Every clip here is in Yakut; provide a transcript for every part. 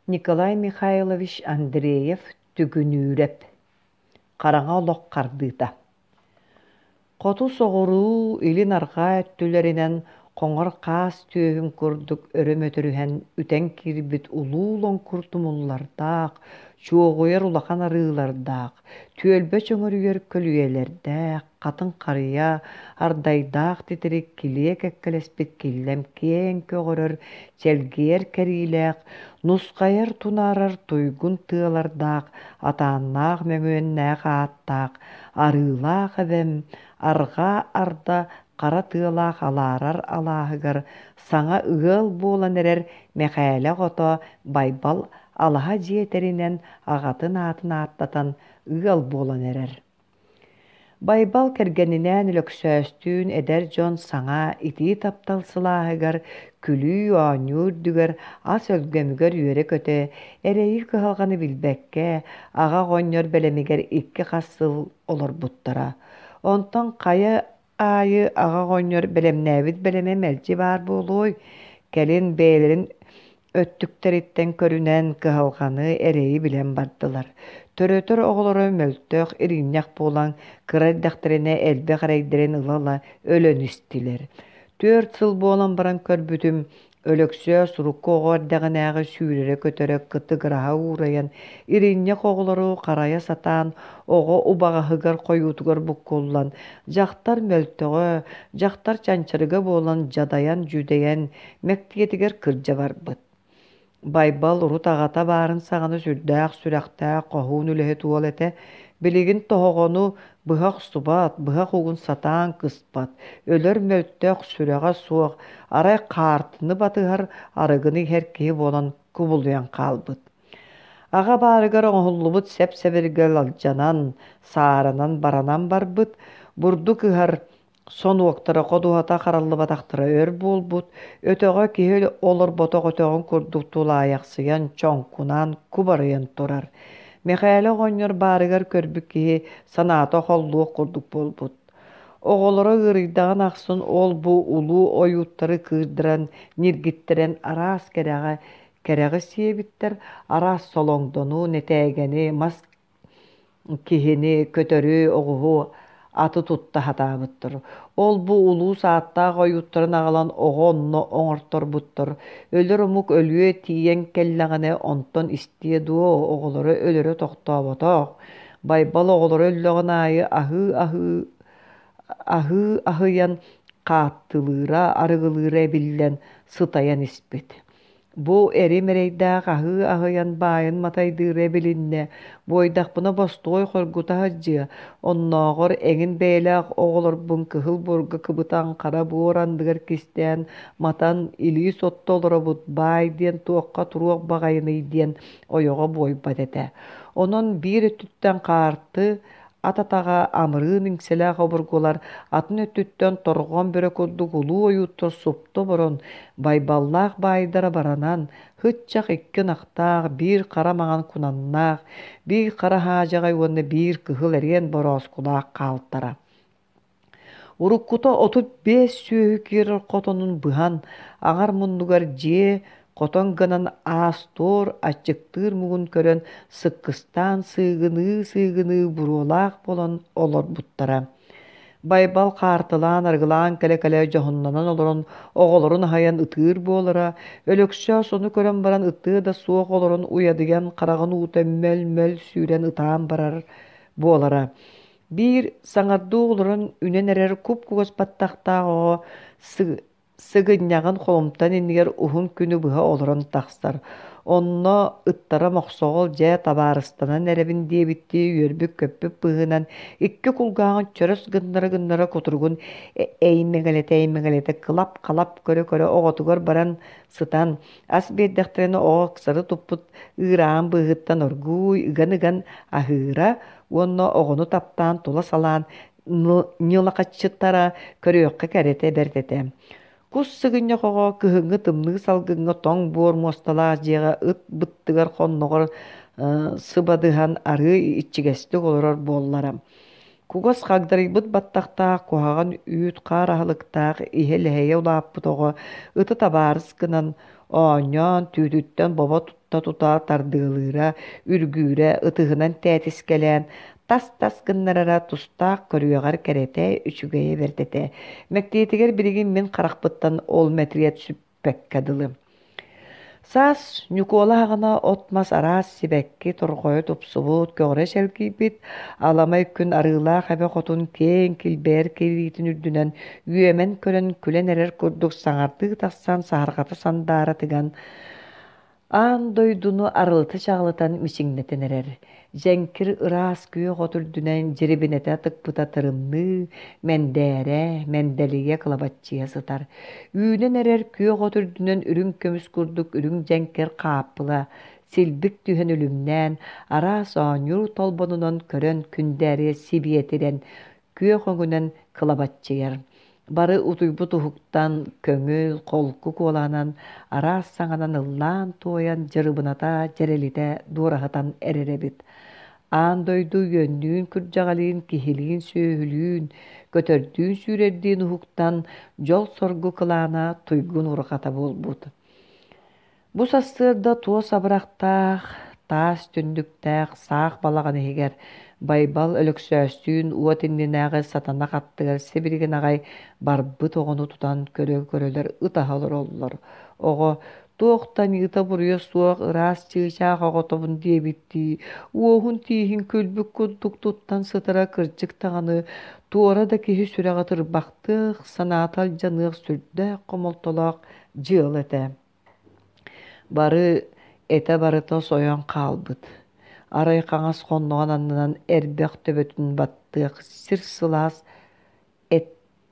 Николай Михайлович Андреев Түгүнүүрэп Хараҥа олох хардыыта Хоту соҕуруу, илин арҕаа өттүлэринэн хоҥор хаас түөһүн курдук өрө мөтөрүһэн үтэн киирбит улуу лоҥкур тумуллардаах, чуоҕуйар улахан арыылардаах, түөлбэ чөҥөрүйэр көлүйэлэрдээх, хатыҥ харыйа, ардайдаах титирик килиэ кэккэлэспит киллэм киэҥ көҕөрөр, чэлгийэр кэриилээх, нусхайар тунаарар туйгун тыалардаах, атааннаах мөҥүөннээх ааттаах, арыылаах эбэм, арҕаа арда хара тыалаах алаарар алааһыгар саҥа ыал буолан эрэр Мэхээлэ оҕото Байбал алаһа дьиэ тэринэн аҕатын аатын ааттатан ыал буолан эрэр. Байбал кэргэнинээн Өлөксөөстүүн эдэр дьон саҥа итии таптал сылааһыгар, күлүү-оонньуу үрдүгэр, ас өлгөмүгэр үөрэ-көтө, эрэйи-кыһалҕаны билбэккэ, аҕа оҕонньор бэлэмигэр икки-хас сыл олорбуттара. Онтон хайа аайы аҕа оҕонньор бэлэмнээбит бэлэмэ мэлдьи баар буолуой, кэлин бэйэлэрин өттүктэриттэн көрүнэн кыһалҕаны, эрэйи билэн бардылар. Төрөтөр оҕолоро мөлтөх, иринньэх буолан, кыра эрдэхтэринэ элбэх эрэйдэрин ыла-ыла өлөн истилэр. 4 сыл буолан баран көрбүтүм, Өлөксөөс урукку оҕо эрдэҕинээҕи сүүрэрэ-көтөрө кытыгыраһа уурайан, иринньэх оҕолору харайа сатаан, оҕо убаҕаһыгар хойуутугар буккуллан, дьахтар мөлтөҕө, дьахтар чанчарыга буолан дьадайан-дьүдэйэн, мэктиэтигэр кырдьа барбыт. Байбал урут аҕата баарын саҕана сүрдээх сүрэхтээх хоһуун үлэһит уол этэ, билигин тоһоҕону быһа охсубат, быһах угун сатаан кыспат, өлөр мөлтөх, сүрэҕэ суох, арай хаартыны батыһар, арыгыны иһэр киһи буолан кубулуйан хаалбыт. Аҕа баарыгар оҥоһуллубут сэп-сэбиргэл алдьанан, сааранан баранан барбыт, бурдук ыһар Сонуоктара ходуһата хараллыбатахтара өр буолбут, өтөҕө киһи олорботох өтөҕүн курдук тулаайахсыйан, чоҥкунаан, кубарыйан турар. Мэхээлэ оҕонньор баарыгар көрбүт киһи санаата холлуох курдук буолбут. Оҕолоро ыарыйдаҕын ахсын ол-бу улуу ойууттары кыырдыран, ньиргиттэрэн араас кэрэҕэ кэрэҕи сиэбиттэр, араас солоҥдону, нэтээгэни, мас киһини, көтөрү, оҕуһу, аты тутта сатаабыттар. Ол-бу улуус ааттаах ойууттарын аҕалан оҕо онно оҥорторбуттар. Өлөр омук өлүө тиийэн кэллэҕинэ онтон истиэ дуо, оҕолоро өлөрө тохтооботох. Байбал оҕолоро өллөҕүн аайы аһыы-аһыы аһыы аһыйан хааттылыыра, арыгылыыра эбиллэн сытайан испит. Бу эрим эрэйдээх аһыы аһыйан баайын матайдыыра билиннэ, буойдахпына бостуой хоргута сылдьыа, оннооҕор эҥин бэйэлээх оҕолорбун кыһыл буорга кыбытан хара буор анныгар кистээн матан илии сотто олоробут баай диэн туохха туруох баҕайыный диэн ойоҕо буойбат этэ. Онон биир өттүттэн хаарты Ат атаҕа амырыын иҥсэлээх обургулар атын өттүттэн торҕон бөрө курдук улуу ойууттар супту оборон, Байбаллаах баайдара баранан, һыччах икки ынахтаах, биир хара маҥан кунаннаах, биир хара хаадьаҕай уонна биир кыһыл эриэн борооскулаах хаалтара. Уруккута 35 сүөһү киирэр хотонун быһан, аҥар муннугар дьиэ хотон гынан аас-туор аччыктыыр муҥун көрөн сыккыстаан сыыгыныы-сыыгыныы буруолаах буолан олорбуттара. Байбал хаартылаан арыгылаан кэлэ-кэлэ дьоһуннанан олорон оҕолорун аһайан ытыыр буолара, Өлөксөөс ону көрөн баран ытыа да суох олорон уйадыйан хараҕын уута мөл-мөл сүүрэн ытаан барар буолара. Биир саҥардыы олорон үнэн эрэр куп-кугас баттахтаах оҕо сыгынньаҕын холумтан иннигэр уһун күнү быһа олорон тахсар. Онно ыттара Мохсоҕол дьэ табаарыстанан эрэбин диэбиттии үөрбүт-көппүт быһыынан икки кулгааҕын чөрөс гыннара-гыннара кутуругун эймэҥэлэтэ-эймэҥэлэтэ кылап-халап көрө-көрө оҕотугар баран сытан ас биэрдэхтэринэ оҕо ыксары туппут ыыраан быыһыттан оргууй ыган-ыган аһыыра уонна оҕону таптаан тула салаан ньылахаччыттара көрүөххэ кэрэтэ бэрт этэ. Кус сыгынньах оҕо кыһыҥҥы тымныы салгыҥҥа тоҥ буор муосталаах дьиэҕэ ыт быттыгар хонноҕор сыбадыһан арыы иччигэстик олорор буоллара. Кугас хагдарыйбыт баттахтаах куһаҕан үүт-хаар аһылыктаах иһэ-лэһэйэ улааппыт оҕо ыты табаарыс гынан Оонньоон, түүтүттэн бобо тутта-тута тардыалыыра, үргүүрэ, ытыһынан тээтискэлээн, тас-тас гыннарара тустаах көрүөҕэр кэрэтэ, үчүгэйэ бэрт этэ. Мэктиэтигэр билигин мин харахпыттан ол мэтириэт сүппэккэ дылы. Саас Ньукуола аҕана от-мас араас сибэкки торҕойо тупсубут, көҕүрэ чэлгийбит, аламай күн Арыылаах эбэ хотун киэҥ килбэйэр кириитин үрдүнэн үөмэн көрөн күлэн эрэр курдук саҥардыы тахсан саһарҕата сандаара тыган Аан дойдуну арылыта чаҕылытан мичиҥнэтэн эрэр, дьэҥкир ыраас күөх от үрдүнэн дьирибинэтэ тыкпыта тырымныы, мэндээрэ, мэндэлийэ кылабаччыйа сытар. Үүнэн эрэр күөх от үрдүнэн үрүҥ көмүс курдук үрүҥ дьэҥкир хааппыла силбик түһэн үлүмнээн, араас оонньуур толбонунан көрөн күндээрийэ сибиэтирэн, күөх өҥүнэн кылабаччыйар. Бары утуйбут уһуктан, көҥүл, холку куолаһынан араас саҥанан ыллаан-туойан дьырыбыната, дьэрэлитэ дуораһытан эрэр эбит. Аан дойду үөннүүн-күрдьэҕэлиин, киһилиин-сүөһүлүүн, көтөрдүүн-сүүрэрдиин уһуктан, дьол-соргу кылаана туйгун урҕата буолбут. Бу сарсыарда туос абырахтаах, таас түннүктээх саах балаҕан иһигэр Байбал Өлөксөөстүүн уот иннинээҕи сатанах аттыгар сибилигин аҕай барбыт оҕону тутан көрө-көрөлөр ытаһа олороллор. Оҕо туох да аньыыта-буруйа суох ыраас чыычаах оҕотобун диэбиттии, уоһун тииһин күлбүт курдук туттан сытара кырдьык даҕаны туора да киһи сүрэҕэ тырбахтыах, санаата алдьаныах сүрдээх хомолтолоох дьыала этэ. Бары этэ барыта сойон хаалбыт, арай хаҥас хонноҕун аннынан эрбэх төбөтүн баттыах сир сылаас эт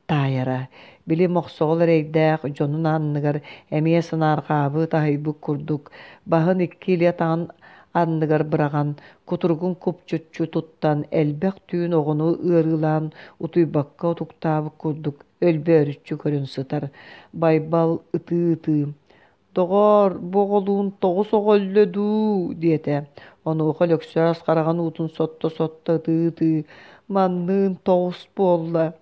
таайара, били мохсоҕол эрэйдээх дьонун анныгар эмиэ санаарҕаабыт аһыйбыт курдук, баһын икки илии атаҕын анныгар быраҕан, кутуругун купчуччу туттан, элбэх түүн оҕону ыарыылаан утуйбакка утуктаабыт курдук өлбөөрүччү көрөн сытар. Байбал ытыы-ытыы: «Доҕоор, бу оҕолуун тоҕус оҕо өллө дуу?» диэтэ. Онуоха Өлөксөөс хараҕын уутун сотто-сотто ытыы-ытыы: «Манныын тоҕус буолла.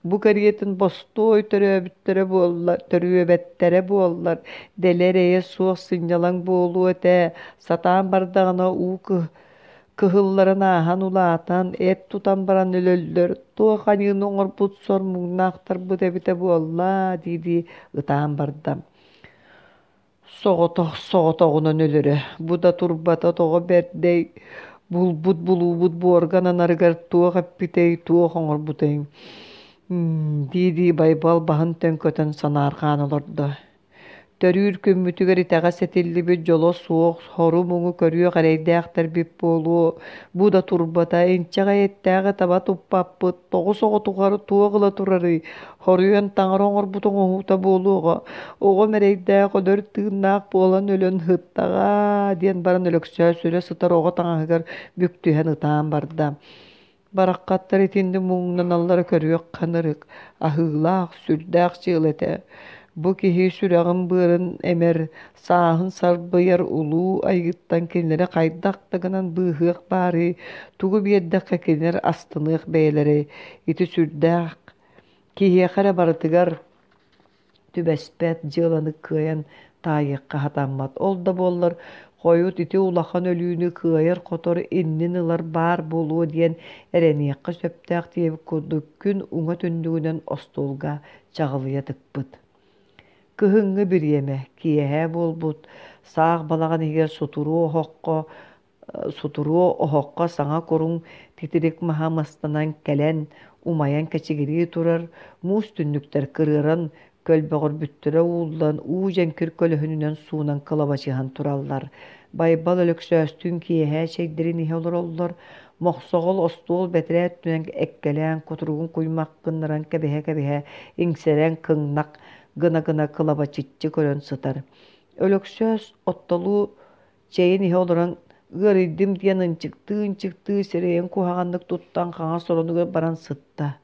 Бу кэриэтин бостуой төрөөбүттэрэ буолла, төрүөбэттэрэ буоллар, дэлэ эрэйэ суох сынньалаҥ буолуо этэ. Сатаан бардаҕына уу Кыһылларын ааһан улаатан, эт тутан баран өлөллөр, туох аньыыны оҥорбут сор муҥнаахтарбыт эбитэ буолла дии-дии ытаан барда. Соҕотох соҕотоҕунан өлөрө, бу да турбата тоҕо бэрдэй, булбут булуубут буорга ананарыгар туох эппитэй, туох оҥорбутай дии-дии Байбал баһын төҥкөтөн санаарҕаан олордо. Төрүүр күммүтүгэр итэҕэс этиллибит дьоло суох сору-муҥу көрүөх эрэйдээхтэрбит буолуо, бу да турбата, инчэҕэй эттээҕи таба туппаппыт, тоҕус оҕотугар туох ыла турарый, хоруйан таҥара оҥорбут оҥоһуута буолуоҕа, оҕом эрэйдээх өлөр тыыннаах буолан өлөн сыттаҕа диэн баран Өлөксөөс өлө сытар оҕо таҥаһыгар бүк түһэн ытаан барда. Бараххаттар итинник муҥнаналлара көрүөх ханарык, аһыылаах, сүрдээх дьыала этэ. Бу киһи сүрэҕин-быарын эмэр, сааһын сарбыйар улуу айыыттан кинилэри хайдах да гынан быыһыах баарый, тугу биэрдэххэ кинилэр астыныах бэйэлэрэй, ити сүрдээх киһиэхэ эрэ барытыгар түбэспэт дьыаланы кыайан таайыахха сатаммат. Ол да буоллар, хойут ити улахан өлүүнү кыайар-хотор иннин ылар баар буолуо диэн эрэниэххэ сөптөөх диэбит курдук күн уҥа түннүгүнэн остуолга чаҕылыйа тыкпыт. Кыһыҥҥы бириэмэ, киэһэ буолбут, саах балаҕан иһигэр сутуруо оһоххо Сутуруо оһоххо саҥа куруҥ титирик маһа мастанан кэлэн, умайан кэчигирии турар, муус түннүктэр кырыаран, көлбөҕүрбүттэрэ ууллан, уу дьэҥкир көлөһүнүнэн суунан кылабачыһан тураллар. Байбал Өлөксөөстүүн киэһэ чэйдэрин иһэ олороллор. Мохсоҕол остуол бэтэрээ өттүнэн эккэлээн, кутуругун куймах гыннаран кэбиһэ-кэбиһэ, иҥсэрэн кыҥнах гына-гына кылабачыччы көрөн сытар. Өлөксөөс оттолуу Чэйин иһэ олорон ыарыйдым диэн ынчыктыы-ынчыктыы сирэйин куһаҕаннык туттан хаҥас оронугар баран сытта.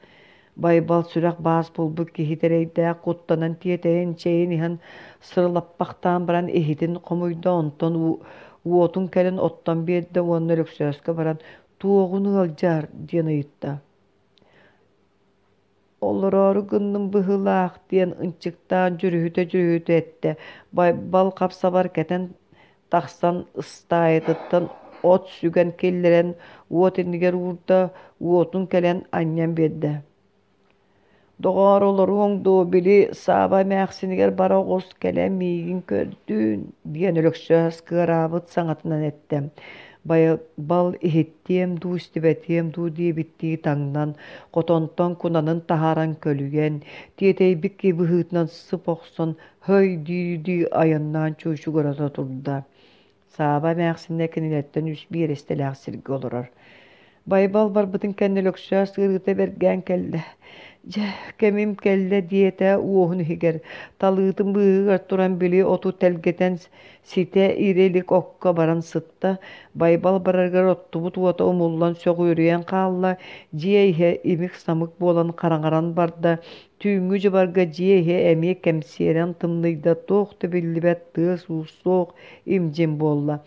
Байбал сүрэх баас булбут киһи эрэйдээх куттанан тиэтэйэн чэйин иһэн сырылаппахтаан баран иһитин хомуйда, онтон уотун кэлин оттон биэрдэ уонна Өлөксөөскө баран «Туоҕун ыалдьар?» диэн ыйытта. Олороору гынным быһыылаах диэн ынчыктаан дьүрүһүтэ-дьүрүһүтэ эттэ. Байбал хап-сабар кэтэн тахсан ыстаайатыттан от сүгэн киллэрэн уот иннигэр уурда, уотун кэлэн анньан биэрдэ. Доҕоор, олоруоҥ дуо, били Сааба эмээхсинигэр бара оҕус, кэлэн миигин көрдүүн, диэн Өлөксөөс кыараабыт саҥатынан эттэ. Байбал иһиттиэм дуу, истибэтиэм дуу диэбиттии таҥнан, хотонтон кунанын таһааран көлүйэн, тиэтэйбит киһи быһыытынан сып охсон, «Һый» дии-дии айаннаан чуучугурата турда. Сааба эмээхсинэ кинилэртэн үс биэрэстэлээх сиргэ олорор. Байбал барбытын кэннэ Өлөксөөс ыарыыта бэргээн кэллэ. Дьэ, кэмим кэллэ диэтэ уоһун иһигэр. Талыытын быыһыгар туран били оту тэлгэтэн ситэ ирэ илик окко баран сытта. Байбал барарыгар оттубут уота умуллан сөҕүөрүйэн хаалла. Дьиэ иһэ имик-самык буолан хараҥаран барда. Түүҥҥү дьыбарга дьиэ иһэ эмиэ кэмсиэрэн тымныйда, туох да биллибэт тыас-уус суох, им-дьим буолла.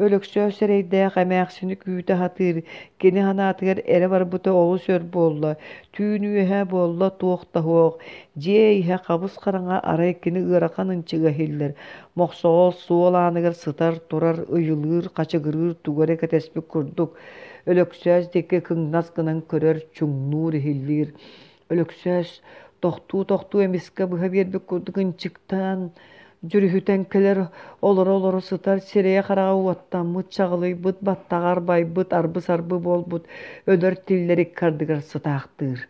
Өлөксөөс эрэйдээх эмээхсини күүтэ сатыыр, кини санаатыгар эрэ барбыта олус өр буолла, түүн үөһэ буолла туох да суох. Дьиэ иһэ хабыс-хараҥа арай кини ыарахан ынчыга иһиллэр, мохсоҕол суол ааныгар сытар, турар, ыйылыыр, хачыгырыыр тугу эрэ кэтэспит курдук. Өлөксөөс диэки кыҥнас гынан көрөр, чуҥнуур, иһиллиир. Өлөксөөс тохтуу-тохтуу эмискэ быһа биэрбит курдук ынчыктаан, дьүрүһүтэн кэлэр, олоро-олоро сытар, сирэйэ-хараҕа уоттаммыт, чаҕылыйбыт, баттаҕа арбайбыт, арбы-сарбы буолбут, өлөр тиллэр икки ардыгар сытаахтыыр.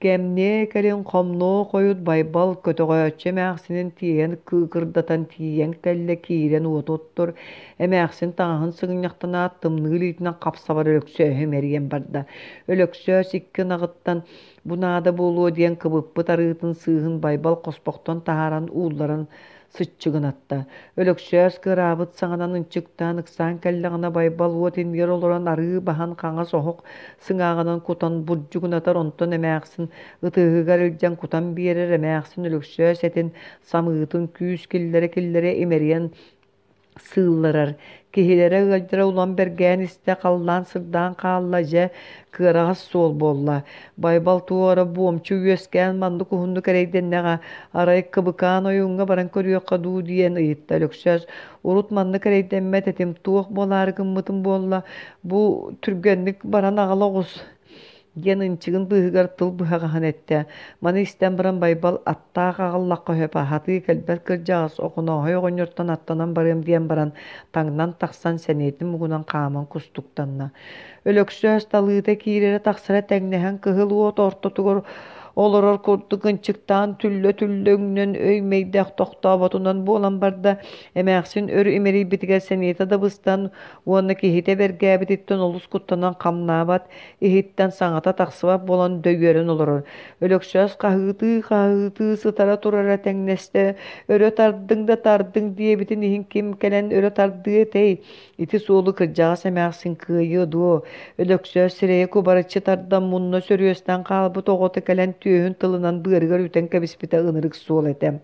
Кэмниэ кэлин хомнуо хойут Байбал көтөҕөөччү эмээхсинин тиэйэн кыыкырдатан тиийэн кэллэ киирэн уоту оттор, эмээхсин таҥаһын сыгынньахтанаат тымныы илиитинэн хапсабар Өлөксөөһү имэрийэн барда. Өлөксөөс икки ынаҕыттан бу наада буолуо диэн кыбыппыт арыытын сыыһын Байбал хоспохтон таһааран уулларан сыччыгынатта. Өлөксөөс кыараабыт саҥанан ынчыктаан ыксаан кэллэҕинэ Байбал уот иннигэр олорон арыы баһан хаҥас оһох сыҥааҕынан кутан бурдьугунатар онтон эмээхсин ытыһыгар илдьэн кутан биэрэр эмээхсин Өлөксөөс этин самыытын күүс киллэрэ-киллэрэ имэрийэн сыылларар. Киһилэрэ ыалдьара улам бэргээн истэ, халлаан сырдаан хаалла, дьэ, кыараҕас суол буолла. Байбал туора буомчу үөскээн маннык уһуннук эрэйдэннэҕэ, арай Кыбыкаан ойууҥҥа баран көрүөххэ дуу диэн ыйытта Өлөксөөс. Урут маннык эрэйдэммэт этим, туох буолаары гыммытым буолла, бу түргэнник баран аҕала оҕус диэн ынчыгын быыһыгар тыл быһаҕаһын эттэ. Маны истэн баран Байбал аттаах аҕаллахха сөп, аһатыы кэлбэт кырдьаҕас Охонооһой оҕонньортон аттанан барыам диэн баран, таҥнан тахсан сэниэтин муҥунан хааман кустуктанна. Өлөксөөс талыыта киирэрэ-тахсара тэҥнэһэн кыһыл уот ортотугар олорор курдук ынчыктаан түллэ-түллэ өҥнөн өй-мэйдээх тохтооботунан буолан барда. Эмээхсин өр имэрийбитигэр сэниэтэ да быстан уонна киһитэ бэргээбититтэн олус куттанан хамнаабат, иһиттэн саҥата тахсыбат буолан дөйүөрэн олорор. Өлөксөөс хаһыытыы-хаһыытыы сытара турара тэҥнэстэ, өрө тардыҥ да тардыҥ диэбитин иһин ким кэлэн өрө тардыа этэй? Ити суолу кырдьаҕас эмээхсин кыайыа дуо? Өлөксөөс сирэйэ кубарыччы тардан мунна сөрүөстэн хаалбыт оҕото кэлэн түөһүн тылынан быарыгар үтэн кэбиспитэ ынырык суол этэ.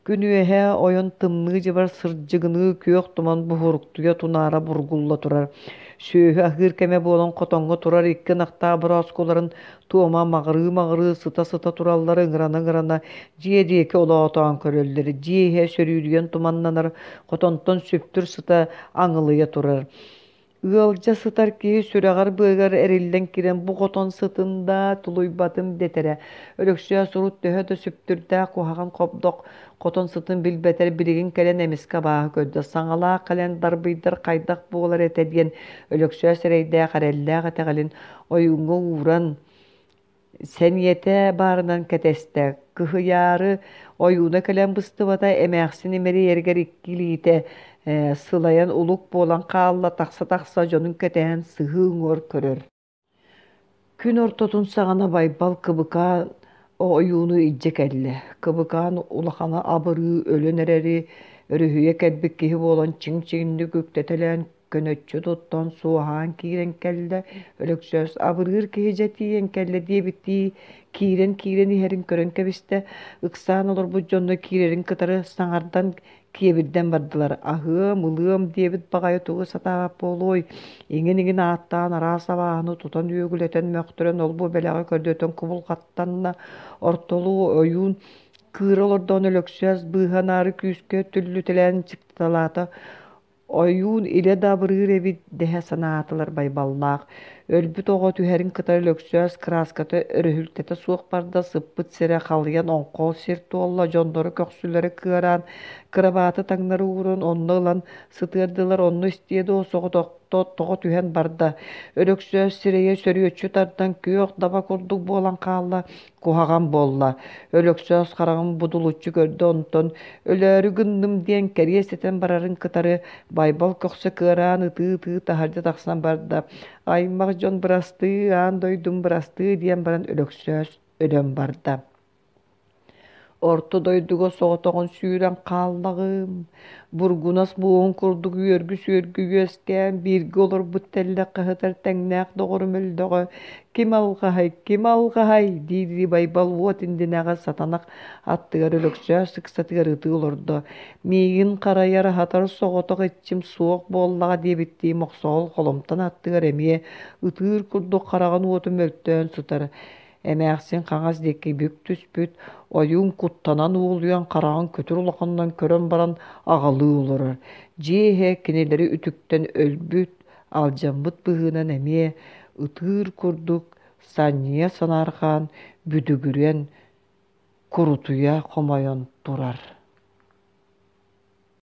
Күн үөһэ ойон тымныы дьыбар сырдьыгыныы күөх туман буһуруктуйа тунаара бургулла турар. Сүөһү аһыыр кэмэ буолан хотоҥҥо турар икки ынахтаах борооскуларын туома маҕырыы-маҕырыы сыта-сыта тураллара ыҥырана-ыҥырана дьиэ диэки олоотоон көрөллөр. Дьиэ иһэ сөрүүдүйэн туманнанар, хотонтон сүптүр сыта аҥылыйа турар. Ыалдьа сытар киһи сүрэҕэр-быарыгар эриллэн киирэн бу хотон сытын да тулуйбатым дэтэрэ. Өлөксөөс урут төһө да сүптүрдээх куһаҕан хобдох хотон сытын билбэтэр билигин кэлэн эмискэ абааһы көрдө. Саҥалаах кэлэн дарбыйдар хайдах буолар этэ диэн Өлөксөөс эрэйдээх эрэллээх итэҕэлин ойууҥҥа ууран сэниэтэ баарынан кэтэстэ. Кыһыйаары ойууна кэлэн быстыбата, эмээхсин имэрийэригэр икки илиитэ сылайан улук буолан хаалла, тахса-тахса дьонун кэтэһэн сыһыы уҥуор көрөр. Күн ортотун саҕана Байбал Кыбыкаан ойууну илдьэ кэллэ. Кыбыкаан улахана абырыы өлөн эрэри өрүһүйэ кэлбит киһи буолан чиҥ-чиҥник үктэтэлээн көнөччү туттан суоһаан киирэн кэллэ. Өлөксөөс абырыыр киһи дьэ тиийэн кэллэ диэбиттии киирэн-киирэн иһэрин көрөн кэбистэ. Ыксаан олорбут дьонно киирэрин кытары саҥардан киэбирдэн бардылар. Аһыам, ылыам диэбит баҕайы тугу сатаабат буолуой? Иҥин-иҥин ааттаан араас абааһыны тутан үөгүлэтэн мөхтөрөн ол-бу бэлэҕи көрдөтөн кубулҕаттанна. Ортолуу ойуун кыыра олордоҕуна Өлөксөөс быыһанаары күүскэ түллүтэлээн чыкталаата. Ойуун илэ да абырыыр эбит дэһэ санаатылар Байбаллаах. Өлбүт оҕо түһэрин кытары Өлөксөөс кырааската өрүһүлтэтэ суох барда, сыппыт сирэ халыйан оҥхол сир туолла, дьонноро көхсүлэрэ кыараан, кырабааты таҥнары ууран онно ылан сытыардылар, онно истиэ дуо соҕотохто тоҕо түһэн барда. Өлөксөөс сирэйэ сөрүөччү тардан күөх даба курдук буолан хаалла, куһаҕан буолла. Өлөксөөс хараҕын будулуччу көрдө, онтон өлөөрү гынным диэн кэриэс этэн барарын кытары Байбал көхсө кыараан ытыы-ытыы таһырдьа тахсан барда. Аймах дьон бырастыы, аан дойдум бырастыы диэн баран Өлөксөөс өлөн барда. Орто дойдуга соҕотоҕун сүүрэн хааллаҕым. Бургунас буоһун курдук үөргү-сүөргү үөскээн, бииргэ олорбут тэллэх хаһытар тэҥнээх доҕорум өллөҕө. Ким алҕаһай, ким алҕаһай? дии-дии Байбал уот иннинээҕи сатанах аттыгар Өлөксөөс ыксатыгар ытыы олордо. Миигин харайар, аһатар соҕотох иччим суох буоллаҕа диэбиттии Мохсоҕол холумтан аттыгар эмиэ ытыыр курдук хараҕын уоту мөлтөөн сытар. Эмээхсин хаҥас диэки бүк түспүт, ойуун куттанан уолуйан хараҕын күтүр улаханынан көрөн баран аҕалыы олорор. Дьиэ иһэ кинилэри үтүктэн өлбүт, алдьаммыт быһыынан эмиэ ытыыр курдук санньыйа санаарҕаан, бүдүгүрэн, курутуйа хомойон турар.